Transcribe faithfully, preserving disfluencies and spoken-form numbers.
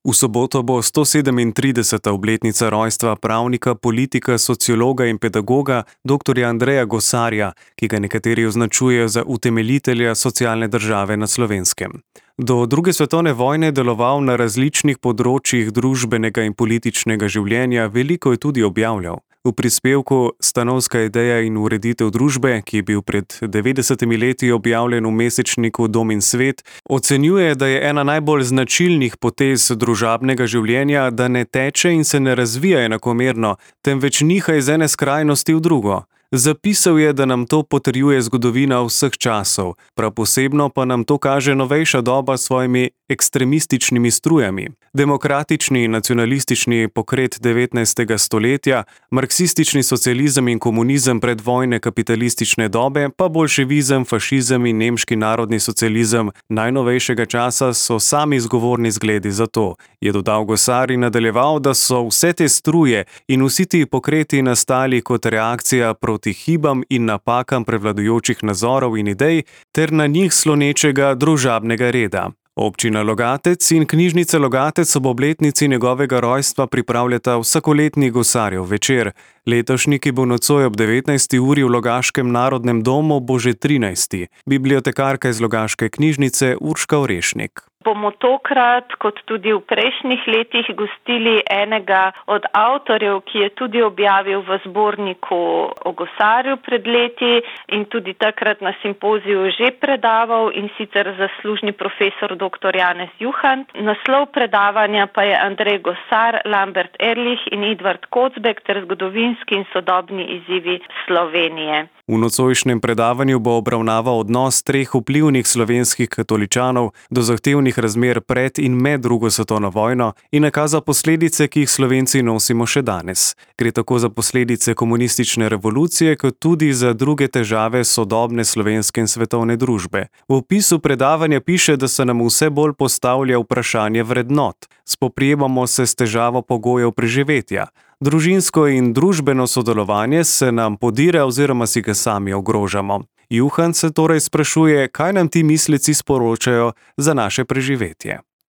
V soboto bo stosedemintrideseta obletnica rojstva pravnika, politika, sociologa in pedagoga doktorja Andreja Gosarja, ki ga nekateri označujejo za utemeljitelja socialne države na Slovenskem. Do druge svetovne vojne je deloval na različnih področjih družbenega in političnega življenja, veliko je tudi objavljal. V prispevku Stanovska ideja in ureditev družbe, ki je bil pred devetdesetimi leti objavljen v mesečniku Dom in svet, ocenjuje, da je ena najbolj značilnih potez družabnega življenja, da ne teče in se ne razvija enakomerno, temveč niha iz ene skrajnosti v drugo. Zapisal je, da nam to potrjuje zgodovina vseh časov, prav posebno pa nam to kaže novejša doba s svojimi ekstremističnimi strujami. Demokratični in nacionalistični pokret devetnajstega stoletja, marksistični socializem in komunizem predvojne kapitalistične dobe, pa boljševizem, fašizem in nemški narodni socializem najnovejšega časa so sami zgovorni zgledi za to, je dodal Gosar in nadaljeval, da so vse te struje in vsi ti pokreti nastali kot reakcija proti hibam in napakam prevladujočih nazorov in idej ter na njih slonečega družabnega reda. Občina Logatec in knjižnica Logatec ob obletnici njegovega rojstva pripravljata vsakoletni Gosarjev večer. Letošnji, ki bo nocoj ob devetnajsti uri v Logaškem narodnem domu, bo že trinajsti. Bibliotekarka iz Logaške knjižnice Urška Orešnik. Bomo tokrat, kot tudi v prejšnjih letih, gostili enega od avtorjev, ki je tudi objavil v zborniku o Gosarju pred leti in tudi takrat na simpoziju že predaval, in sicer zaslužni profesor doktor Janez Juhant. Naslov predavanja pa je Andrej Gosar, Lambert Ehrlich in Edvard Kocbek ter zgodovinski in sodobni izzivi Slovenije. V nocojšnjem predavanju bo obravnaval odnos treh vplivnih slovenskih katoličanov do zahtevnih razmer pred in med drugo svetovno vojno in nakazal posledice, ki jih Slovenci nosimo še danes. Gre tako za posledice komunistične revolucije, kot tudi za druge težave sodobne slovenske in svetovne družbe. V opisu predavanja piše, da se nam vse bolj postavlja vprašanje vrednot. Spoprijemamo se s težavo pogojev preživetja. Družinsko in družbeno sodelovanje se nam podira oziroma si ga sami ogrožamo. Juhant se torej sprašuje, kaj nam ti misleci sporočajo za naše preživetje.